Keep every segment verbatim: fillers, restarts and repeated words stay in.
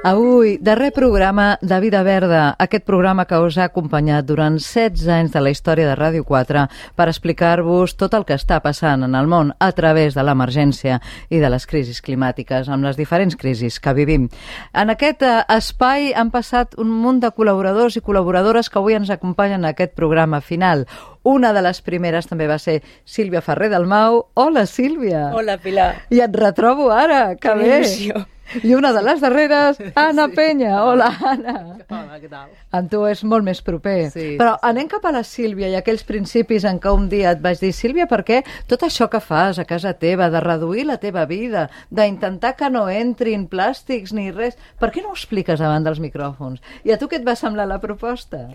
Avui, darrer programa de Vida Verda, aquest programa que us ha acompanyat durant setze anys de la història de Ràdio quatre per explicar-vos tot el que està passant en el món a través de l'emergència i de les crisis climàtiques, amb les diferents crisis que vivim. En aquest eh, espai han passat un munt de col·laboradors i col·laboradores que avui ens acompanyen en aquest programa final. Una de les primeres també va ser Sílvia Ferrer Dalmau. Hola, Sílvia. Hola, Pilar. I et retrobo ara, que bé. Emoció. I una de les darreres, Anna Sí. Penya. Hola, Anna. Hola, què tal? Amb tu és molt més proper. Sí, Però sí, sí. anem cap a la Sílvia i aquells principis en què un dia et vaig dir, Sílvia, per què tot això que fas a casa teva, de reduir la teva vida, d'intentar que no entrin plàstics ni res, per què no ho expliques davant dels micròfons? I a tu què et va semblar la proposta?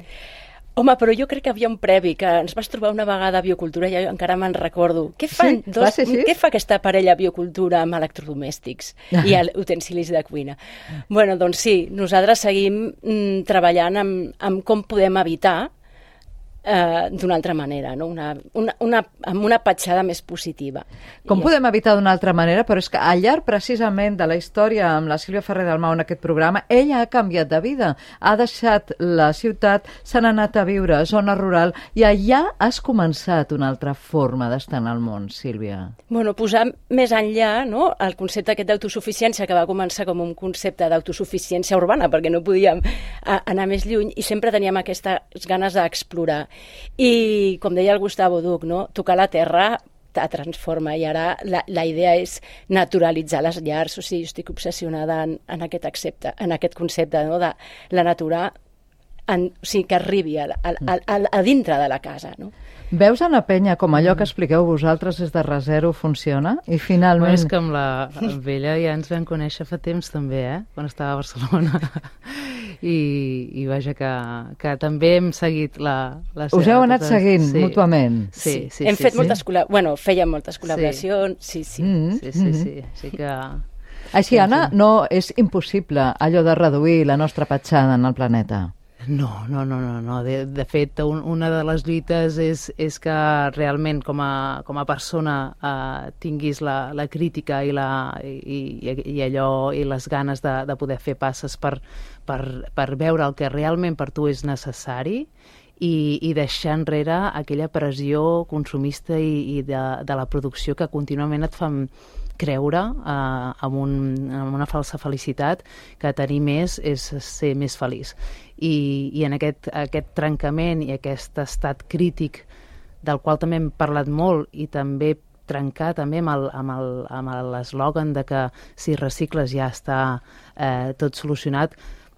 Home, però jo crec que havia un previ, que ens vas trobar una vegada a Biocultura, i jo encara me'n recordo. Què fan Sí? dos, Va ser així? què fa aquesta parella a Biocultura amb electrodomèstics i el- utensilis de cuina? Bueno, doncs sí, nosaltres seguim mm, treballant amb, amb com podem evitar eh, d'una altra manera, no? una, una, una, amb una petjada més positiva. Com I- podem evitar d'una altra manera? Però és que al llarg precisament de la història amb la Sílvia Ferrer Dalmau en aquest programa, ella ha canviat de vida. Ha deixat la ciutat, se n'ha anat a viure a zona rural i allà has començat una altra forma d'estar en el món, Sílvia. Bueno, posar més enllà, no?, el concepte aquest d'autosuficiència, que va començar com un concepte d'autosuficiència urbana, perquè no podíem a, anar més lluny, i sempre teníem aquestes ganes d'explorar. I, com deia el Gustavo Duc, no?, tocar la terra te transforma, i ara la, la idea és naturalitzar les llars. O sigui, jo estic obsessionada en, en, aquest, accepte, en aquest concepte, no?, de la natura, en, o sigui, que arribi a, a, a, a, a dintre de la casa, no? Veus, Anna Penya, com allò que expliqueu vosaltres des de Resero funciona? I finalment... Bueno, és que amb la amb ella ja ens vam conèixer fa temps també, eh? Quan estava a Barcelona. I, i vaja, que, que també hem seguit la, la seva... Us heu anat totes- seguint mútuament? Sí, sí, Hem sí, fet sí. moltes col·la... bueno, fèiem moltes col·laboracions, sí, sí. Mm, Sí, sí, sí. Així que... Així, Anna, no és impossible allò de reduir la nostra petjada en el planeta. No, no, no, no, no. De, de fet, un, una de les lluites és, és que realment com a, com a persona eh, tinguis la, la crítica i, la, i, i, i allò i les ganes de, de poder fer passes per, per, per veure el que realment per tu és necessari i, i deixar enrere aquella pressió consumista i, i de, de la producció que contínuament et fan creure eh, amb, un, amb una falsa felicitat que tenir més és ser més feliç. I, i en aquest, aquest trencament i aquest estat crític del qual també hem parlat molt i també trencar també amb el- amb el- amb l'eslògan de que si recicles ja està eh, tot solucionat,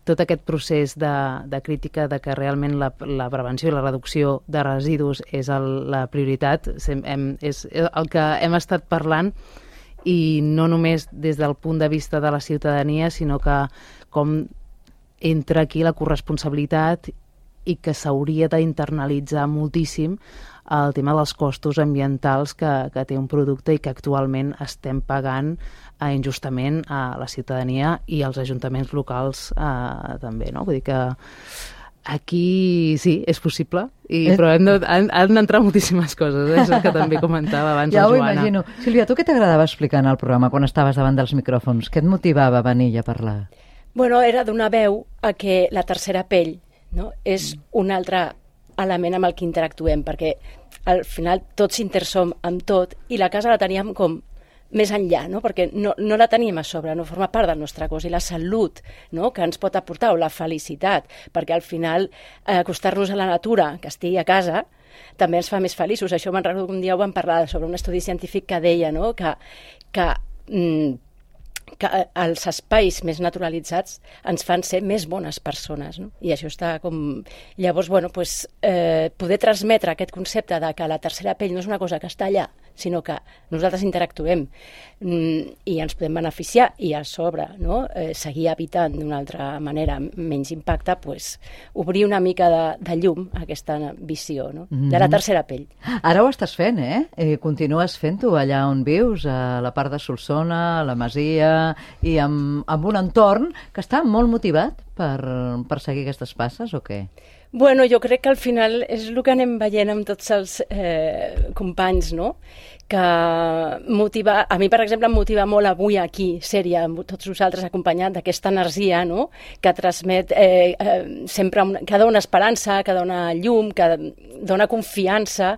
tot aquest procés de, de crítica de que realment la, la prevenció i la reducció de residus és el, la prioritat, sem- hem, és el que hem estat parlant, i no només des del punt de vista de la ciutadania, sinó que com entra aquí la corresponsabilitat i que s'hauria d'internalitzar moltíssim el tema dels costos ambientals que, que té un producte i que actualment estem pagant eh, injustament a la ciutadania i als ajuntaments locals eh, també, no? Vull dir que aquí sí, és possible, i, És- però han de- han han d'entrar moltíssimes coses, eh? És el que també comentava abans Ja la ho Joana. imagino. Sílvia, tu què t'agradava explicar en el programa quan estaves davant dels micròfons? Què et motivava a venir a parlar? Bueno, era donar veu a que la tercera pell, no?, és un altre element amb el que interactuem, perquè al final tots intersom amb tot, i la casa la teníem com més enllà, no?, perquè no, no la tenim a sobre, no forma part del nostre cos, i la salut, no?, que ens pot aportar, o la felicitat, perquè al final eh, acostar-nos a la natura, que estigui a casa, també ens fa més feliços. Això me'n recordo que un dia ho vam parlar sobre un estudi científic que deia, no?, que, que mm, que els espais més naturalitzats ens fan ser més bones persones, no? I això està com... Llavors, bueno, pues, eh, poder transmetre aquest concepte de que la tercera pell no és una cosa que està allà, sinó que nosaltres interactuem mm, i ens podem beneficiar, i a sobre, no?, eh, seguir evitant d'una altra manera menys impacte, pues, obrir una mica de, de llum a aquesta visió, no?, de la tercera pell. Ara ho estàs fent, eh? eh continues fent-ho allà on vius, a la part de Solsona, a la Masia, i amb, amb un entorn que està molt motivat per, per seguir aquestes passes o què? Bueno, jo crec que al final és el que anem veient amb tots els eh, companys, no? Que motiva, a mi, per exemple, em motiva molt avui aquí, sèrie, amb tots vosaltres acompanyat d'aquesta energia, no? Que transmet eh, eh, sempre, una, que dona esperança, que dona llum, que dona confiança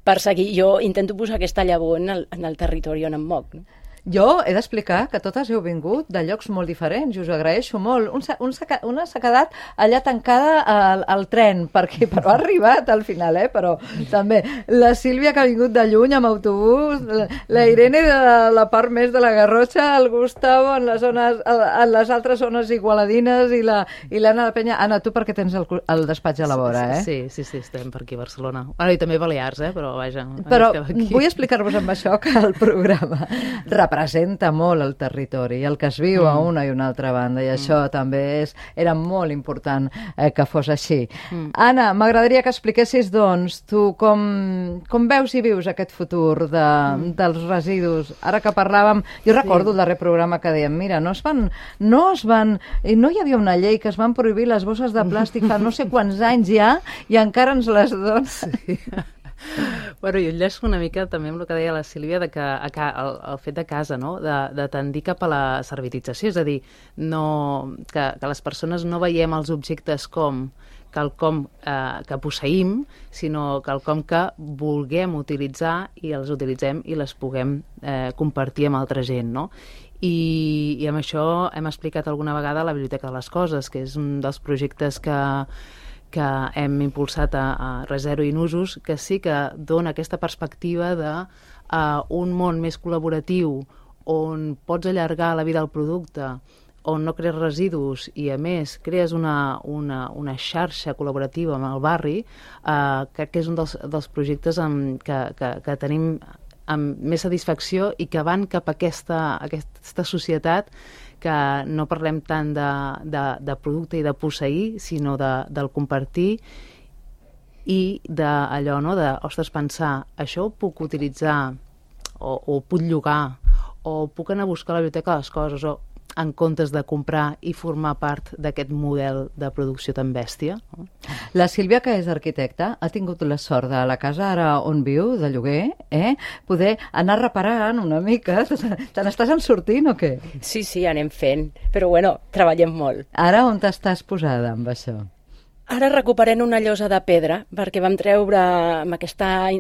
per seguir. Jo intento posar aquesta llavor en el, en el territori on em moc, no? Jo he d'explicar que totes heu vingut de llocs molt diferents i us ho agraeixo molt. Un, un, una s'ha quedat allà tancada al, al tren, perquè, però ha arribat al final, eh? Però també la Sílvia, que ha vingut de lluny amb autobús, la, la Irene de la part més de la Garrotxa, el Gustavo en les, zones, en les altres zones igualadines i la i l'Anna de Penya. Anna, tu perquè tens el, el despatx a la vora, eh? Sí, sí, sí, estem per aquí a Barcelona. Bueno, i també Balears, eh? Però vaja. Però vull explicar-vos amb això que el programa representa molt el territori i el que es viu mm. a una i una altra banda, i mm. això també és, era molt important eh, que fos així. Mm. Anna, m'agradaria que expliquessis, doncs, tu com, com veus i vius aquest futur de, mm. dels residus. Ara que parlàvem, jo recordo sí. el darrer programa que dèiem, mira, no es van, no es van, no hi havia una llei que es van prohibir les bosses de plàstic fa no sé quants anys ja, i encara ens les donen. Sí. Bueno, jo enllaço una mica també amb el que deia la Sílvia, de que el, el fet de casa, no? de, de tendir cap a la servitització, és a dir, no, que, que les persones no veiem els objectes com quelcom eh, que posseïm, sinó quelcom que vulguem utilitzar i els utilitzem i les puguem eh, compartir amb altra gent, no? I, i amb això hem explicat alguna vegada la Biblioteca de les Coses, que és un dels projectes que que hem impulsat a, a Resero i Nusos, que sí que dona aquesta perspectiva de uh, un món més col·laboratiu on pots allargar la vida del producte, on no crees residus i, a més, crees una, una, una xarxa col·laborativa amb el barri, uh, crec que és un dels, dels projectes amb, que, que, que tenim amb més satisfacció i que van cap a aquesta, aquesta societat que no parlem tant de, de, de producte i de posseir, sinó de, del compartir i d'allò, no?, de, ostres, pensar, això ho puc utilitzar o, o puc llogar o puc anar a buscar a la biblioteca les coses, o en comptes de comprar i formar part d'aquest model de producció tan bèstia. La Sílvia, que és arquitecta, ha tingut la sort de la casa ara on viu, de lloguer, eh? poder anar reparant una mica. Te n'estàs en sortint o què? Sí, sí, anem fent, però bueno, treballem molt. Ara on t'estàs posada amb això? Ara recuperem una llosa de pedra, perquè vam treure, amb aquesta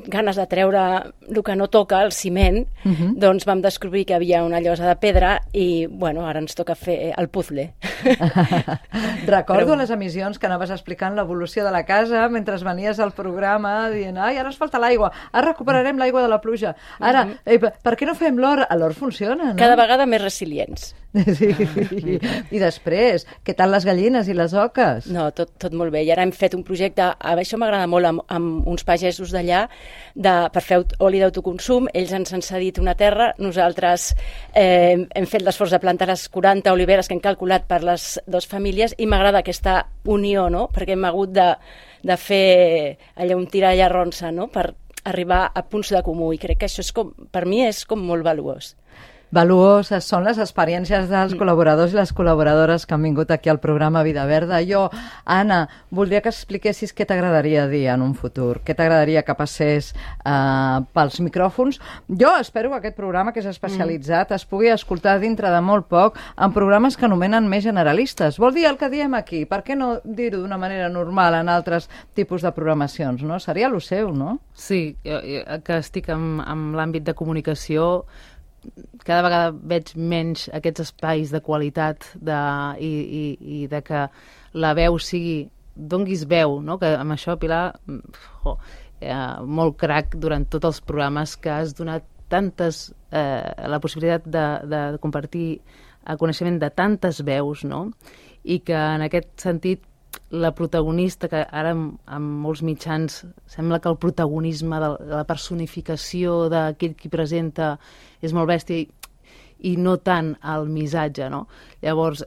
ganes de treure el que no toca, el ciment, uh -huh. doncs vam descobrir que hi havia una llosa de pedra i, bueno, ara ens toca fer el puzzle. Recordo Però... les emissions que anaves explicant l'evolució de la casa mentre venies al programa dient, ai, ara ens falta l'aigua, ara recuperarem l'aigua de la pluja, ara, uh -huh. eh, per què no fem l'or? L'or funciona, no? Cada vegada més resilients. Sí. I després, què tal les gallines i les oques? No, tot, tot molt bé. I ara hem fet un projecte, això m'agrada molt, amb, amb uns pagesos d'allà, de, per fer oli d'autoconsum. Ells ens han cedit una terra, nosaltres eh, hem fet l'esforç de plantar les quaranta oliveres que hem calculat per les dues famílies, i m'agrada aquesta unió, no?, perquè hem hagut de, de fer allà un tira i arronsa, no?, per arribar a punts de comú, i crec que això és com, per mi és com molt valuós. Valuoses són les experiències dels col·laboradors i les col·laboradores que han vingut aquí al programa Vida Verda. Jo, Anna, voldria que expliquessis què t'agradaria dir en un futur, què t'agradaria que passés eh, pels micròfons. Jo espero que aquest programa, que és especialitzat, es pugui escoltar dintre de molt poc en programes que anomenen més generalistes. Vol dir el que diem aquí? Per què no dir-ho d'una manera normal en altres tipus de programacions, no? Seria lo seu, no? Sí, jo, jo, que estic en, en l'àmbit de comunicació, cada vegada veig menys aquests espais de qualitat de, i, i, i de que la veu sigui, donguis veu, no? Que amb això, Pilar, oh, eh, molt crac durant tots els programes, que has donat tantes, eh, la possibilitat de, de compartir el coneixement de tantes veus, no? I que en aquest sentit la protagonista, que ara en, en molts mitjans sembla que el protagonisme de la personificació d'aquell qui presenta és molt bèstia i, i no tant el missatge, no? Llavors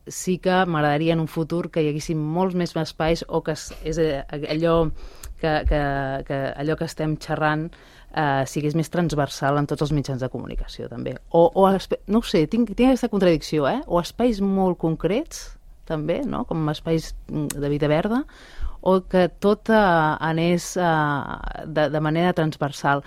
sí que m'agradaria en un futur que hi haguessin molts més espais, o que és allò que, que, que, allò que estem xerrant eh, sigués més transversal en tots els mitjans de comunicació també. O, o no ho sé, tinc, tinc aquesta contradicció, eh? O espais molt concrets també, no? Com espais de vida verda, o que tot eh, anés eh, de, de manera transversal.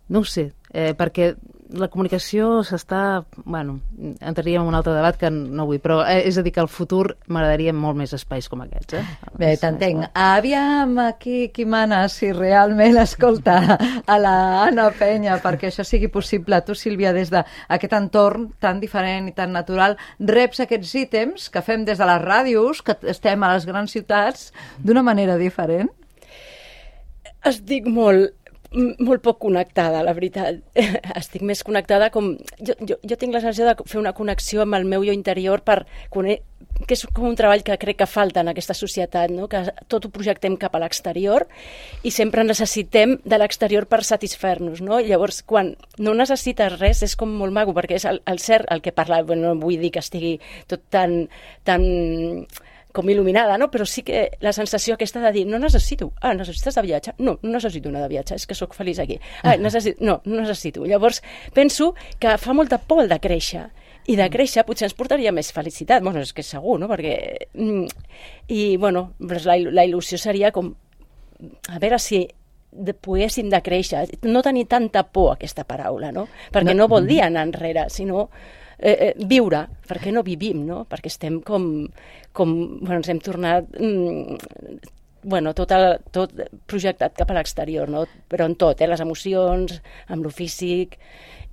No ho sé, eh, perquè la comunicació s'està... Bueno, entraríem en un altre debat que no vull, però eh, és a dir que al futur m'agradaria molt més espais com aquests. Eh? Bé, t'entenc. Aviam aquí qui mana, si realment escolta a la Anna Penya perquè això sigui possible. Tu, Sílvia, des d'aquest entorn tan diferent i tan natural, reps aquests ítems que fem des de les ràdios, que estem a les grans ciutats, d'una manera diferent? Estic molt... molt poc connectada, la veritat. Estic més connectada com... Jo, jo, jo tinc la sensació de fer una connexió amb el meu jo interior per conèixer, que és com un treball que crec que falta en aquesta societat, no? Que tot ho projectem cap a l'exterior i sempre necessitem de l'exterior per satisfer-nos, no? Llavors, quan no necessites res, és com molt maco, perquè és el, el cert el que parla, bueno, no vull dir que estigui tot tan... tan com il·luminada, no? Però sí que la sensació aquesta de dir, no necessito, ah, necessites de viatge? No, no necessito anar de viatge, és que sóc feliç aquí. Ah, necessito, no, no necessito. Llavors, penso que fa molta por el de créixer, i de créixer potser ens portaria més felicitat, bueno, és que és segur, no? Perquè... I, bueno, la, la il·lusió seria com, a veure si de, poguéssim de créixer, no tenir tanta por a aquesta paraula, no? Perquè no, no vol dir anar enrere, sinó... Eh, eh, viure, perquè no vivim, no? Perquè estem com, com bueno, ens hem tornat mm, bueno, tot, el, tot projectat cap a l'exterior, no? Però en tot, eh? Les emocions, amb lo físic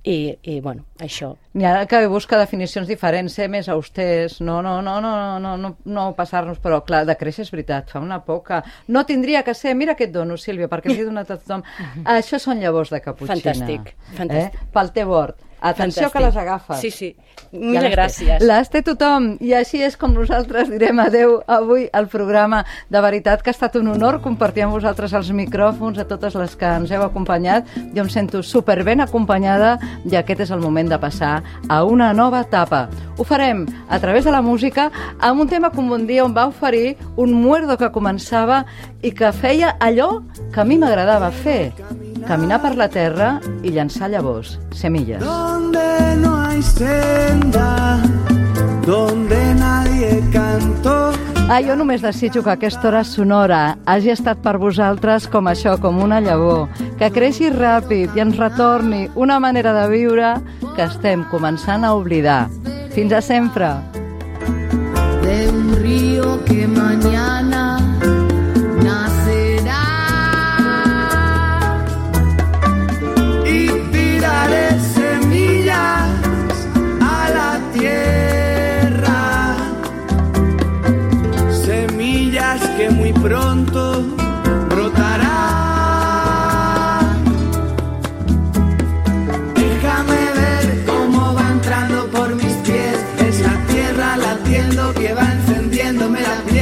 i, i bueno, això. N'hi ha que busca definicions diferents, ser més austers, no, no, no, no, no, no, no passar-nos, però clar, de créixer és veritat, fa una por que no tindria que ser, mira què et dono, Sílvia, perquè li he donat a tothom. Això són llavors de caputxina. Fantàstic, fantàstic. Eh? Pel té bord. Atenció, que les agafes. Sí, sí. Mil ja gràcies. Les té tothom. I així és com nosaltres direm adeu avui al programa. De veritat que ha estat un honor compartir amb vosaltres els micròfons a totes les que ens heu acompanyat. Jo em sento superben acompanyada i aquest és el moment de passar a una nova etapa. Ho farem a través de la música amb un tema com un dia on va oferir un muerdo que començava i que feia allò que a mi m'agradava fer. Caminar per la terra i llançar llavors, semilles. Donde no hay senda, donde nadie cantó. Ah, jo només desitjo que aquesta hora sonora hagi estat per vosaltres com això, com una llavor, que creixi ràpid i ens retorni una manera de viure que estem començant a oblidar. Fins a sempre. De un río que mañana nacerá y tiraré semillas a la tierra, semillas que muy pronto brotarán. Déjame ver cómo va entrando por mis pies, es la tierra latiendo que va encendiéndome la piel.